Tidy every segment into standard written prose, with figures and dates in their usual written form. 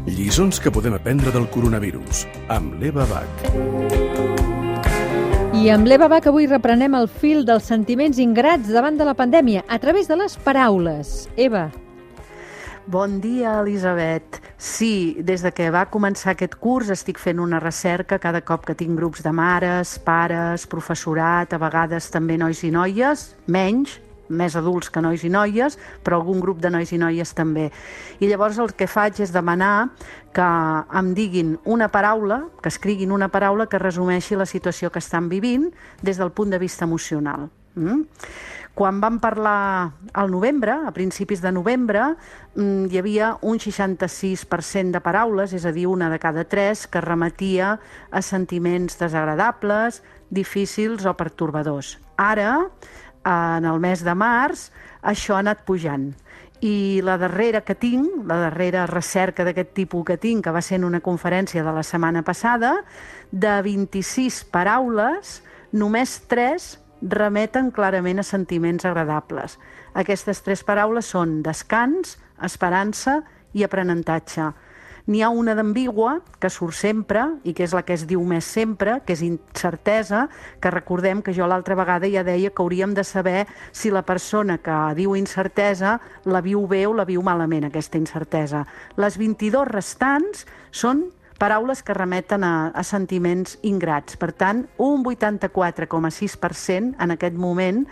Lliçons que podem aprendre del coronavirus, amb l'Eva Bach. I amb l'Eva Bach avui reprenem el fil dels sentiments ingrats davant de la pandèmia a través de les paraules. Eva. Bon dia, Elisabet. Sí, des de que va començar aquest curs estic fent una recerca cada cop que tinc grups de mares, pares, professorat, a vegades també nois i noies, més adults que nois i noies, però algun grup de nois i noies també. I llavors el que faig és demanar que em diguin una paraula, que escriguin una paraula que resumeixi la situació que estan vivint des del punt de vista emocional. Quan vam parlar al novembre, a principis de novembre, hi havia un 66% de paraules, és a dir, una de cada tres, que remetia a sentiments desagradables, difícils o pertorbadors. Ara, en el mes de març, això ha anat pujant. I la darrera que tinc, la darrera recerca d'aquest tipus que tinc, que va ser en una conferència de la setmana passada, de 26 paraules, només 3 remeten clarament a sentiments agradables. Aquestes 3 paraules són descans, esperança i aprenentatge. N'hi ha una d'ambigua, que surt sempre, i que és la que es diu més sempre, que és incertesa, que recordem que jo l'altra vegada ja deia que hauríem de saber si la persona que diu incertesa la viu bé o la viu malament, aquesta incertesa. Les 22 restants són paraules que remeten a sentiments ingrats. Per tant, un 84,6% en aquest moment,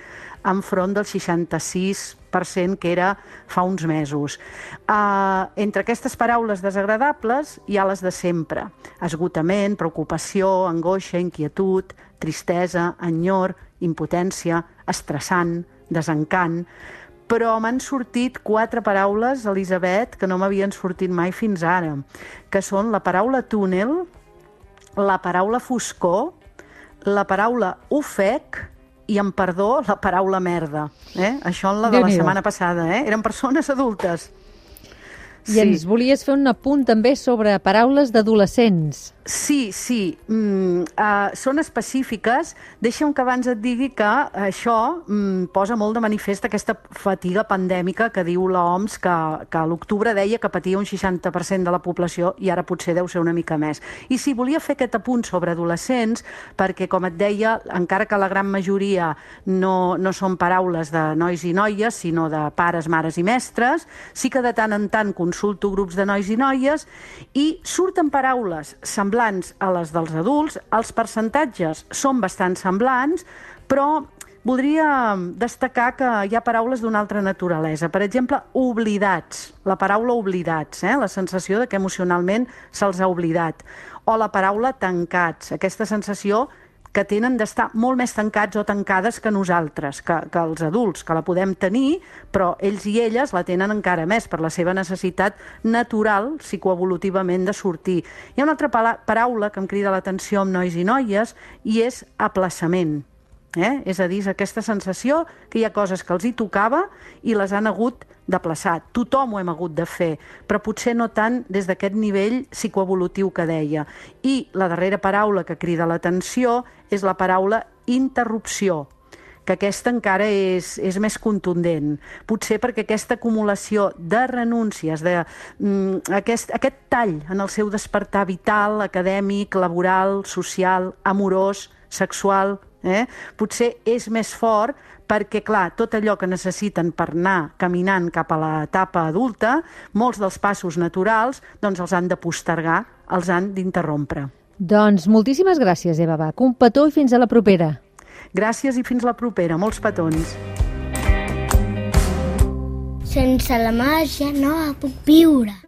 enfront del 66% que era fa uns mesos. Entre aquestes paraules desagradables hi ha les de sempre. Esgotament, preocupació, angoixa, inquietud, tristesa, enyor, impotència, estressant, desencant. Però m'han sortit 4 paraules, Elisabet, que no m'havien sortit mai fins ara, que són la paraula túnel, la paraula foscor, la paraula ofec i, amb perdó, la paraula merda. Això en la de la setmana passada. Eren persones adultes. I ens volies fer un apunt també sobre paraules d'adolescents. Sí. Són específiques. Deixa'm que abans et digui que això posa molt de manifest aquesta fatiga pandèmica que diu l'OMS, que a l'octubre deia que patia un 60% de la població i ara potser deu ser una mica més. I sí, volia fer aquest apunt sobre adolescents perquè, com et deia, encara que la gran majoria no són paraules de nois i noies, sinó de pares, mares i mestres, sí que de tant en tant consulto grups de nois i noies i surten paraules semblants a les dels adults. Els percentatges són bastant semblants, però voldria destacar que hi ha paraules d'una altra naturalesa. Per exemple, oblidats. La paraula oblidats, la sensació de que emocionalment se'ls ha oblidat. O la paraula tancats, aquesta sensació que tenen d'estar molt més tancats o tancades que nosaltres, que els adults, que la podem tenir, però ells i elles la tenen encara més per la seva necessitat natural, psicoevolutivament, de sortir. Hi ha una altra paraula que em crida l'atenció amb nois i noies i és aplaçament. És a dir, és aquesta sensació que hi ha coses que els hi tocava i les han hagut d'aplaçar. Tothom ho hem hagut de fer, però potser no tant des d'aquest nivell psicoevolutiu que deia. I la darrera paraula que crida l'atenció és la paraula interrupció, que aquesta encara és més contundent. Potser perquè aquesta acumulació de renúncies, aquest tall en el seu despertar vital, acadèmic, laboral, social, amorós, sexual, potser és més fort perquè, clar, tot allò que necessiten per anar caminant cap a l'etapa adulta, molts dels passos naturals, doncs els han de postergar, els han d'interrompre. Doncs moltíssimes gràcies, Eva Bach. Un petó i fins a la propera. Gràcies i fins la propera. Molts petons. Sense la màgia no puc viure.